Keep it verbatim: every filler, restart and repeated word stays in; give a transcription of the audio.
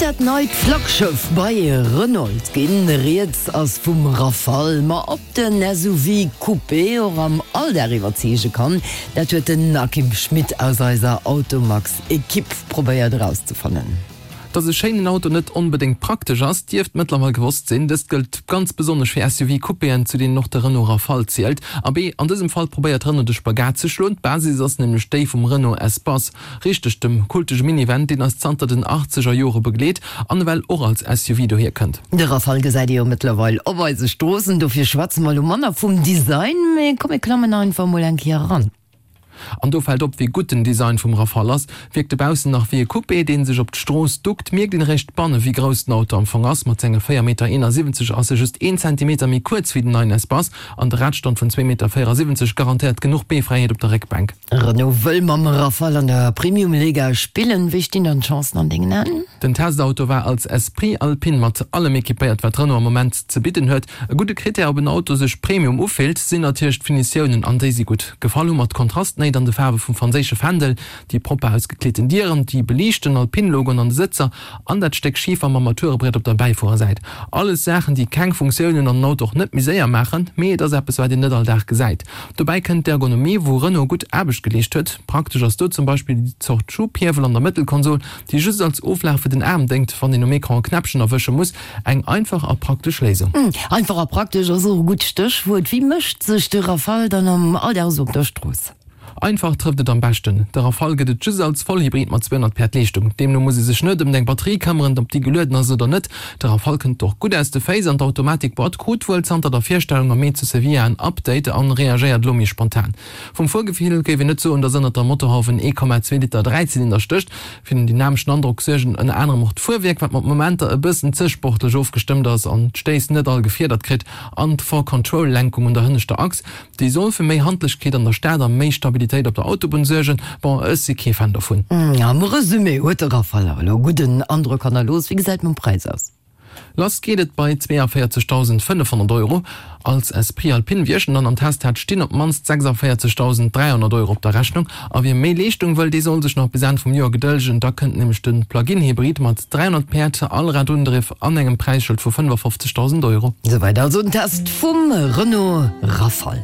dat neit Flaggschëff bei Renault ginn. Rieds ass vum Rafale. Ma ob den S U V Coupé och am Alldag iwwerzeege kann, dat huet den Akim Schmit aus eiser Automag-Ekipp probéiert erauszefannen. Dass e schéinen Auto net onbedéngt praktesch ass, dierft mëttlerweil gewosst sinn. Dëst gëllt ganz besonnesch fir S U V-Coupéen, zu deenen och de Renault Rafale zielt. Abee, an dësem Fall probéiert Renault de Spagat ze schloen. D'Basis ass nämlech déi vum Renault Espace. Richteg, dem kultege Minivan, deen eis zanter den achtzeger Jore begleet an ewell och als S U V dohier kënnt. De Rafale gesäit ee jo mëttlerweil op eise Stroossen, dofir schwätze mer elo manner vum Design, mee komm mir klammen einfach mol eng Kéier eran. An do fält op, wéi gutt den Design vum Rafale ass. Wierkt e baussen nach wéi e Coupé, dee sech op d'Strooss duckt, mierkt een eréischt banne wéi grouss den Auto am Fong ass. Mat senge véier Meter eenasiwwenzeg ass e just een Zentimeter méi kuerz wéi den neien Espace an de Radstand vun zwee Meter véierasiwwenzeg garantéiert genuch Beefräiheet op der Réckbänk. Renault wëll mam Rafale an der Premium-Liga spillen. Wéi stinn dann d'Chancen an dengen Aen? Den Testauto war als Esprit Alpine mat allem equipéiert, wat Renault am Moment ze bidden huet. E gudde Critère, ob en Auto sech Premium ufillt, sinn natierlech d'Finitiounen, an déi si gutt. Gefall hu mer d'Kontrastnéit an de Faarwe vum franséische Fändel, déi propper ausgekleeten Dieren, déi beliichten Alpine-Logoen an de Sëtzer an dat Stéck Schifer mam Armaturebriet op der Bäifuerersäit. Alles Saachen, déi keng Funktioun hunn an den Auto och net méi séier maachen, mee et ass eppes, wat een net all Dag gesäit. Dobäi kënnt d'Ergonomie, wou Renault gutt Aarbecht geleescht huet. Praktesch ass do zum Beispill déi Zort Schubhiewel an der Mëttelkonsol, déi just als Oflag fir den Aarm déngt, wann een um Ecran e Knäppchen erwësche muss. Eng einfach a praktesch Léisung. Einfach a praktesch ass och e gutt Stéchwuert. Wéi mécht sech de Rafale dann am Alldag esou op der Strooss? Einfach trëfft et am beschten. De Rafale gëtt et just als Vollhybrid mat zweehonnert Päerd Leeschtung. Deemno muss ee sech net ëm eng Batterie këmmeren, ob déi gelueden ass oder net. De Rafale kënnt och gutt aus de Féiss an d'Automatikboîte krut wuel zanter der Virstellung am Mee zu Sevilla en Update an reagéiert elo méi spontan. Vum Fuergefill géif een net soen, datt ënnert der Motorhauf en ee Komma zwee Liter Dräizylinder stécht. Fir den dynameschen Androck suergen ënner anerem och d'Fuerwierk, wat mat Momenter e bëssen ze sportlech ofgestëmmt ass an d'Stéiss net all gefiedert kritt, an d'four-Control-Lenkung un der hënneschter Achs. Déi soll fir méi Handlechkeet an der Stad a méi Stabilitéit op der Autobunn suergen. Bon, ech si kee Fan dovun. Am Resumé huet de Rafale awer elo e gudden Androck hannerlooss. Wéi gesäit et mam Präis aus? Lass geet et bei zweeënvéierzegdausendfënnefhonnert Euro. Als Esprit Alpine, wéi ech en dann am Test hat, stinn op d'mannst sechsundvéierzegdausend dräihonnert Euro op der Rechnung. A wie méi Leeschtung wëll, dee soll sech nach bis Enn vum Joer gedëllegen. Da kënnt nämlech de Plug-in-Hybrid mat dräihonnert Päerd, Allradundriff an engem Präisschëld vu fënnefafofzegdausend Euro. Souwäit also den Test vum Renault Rafale.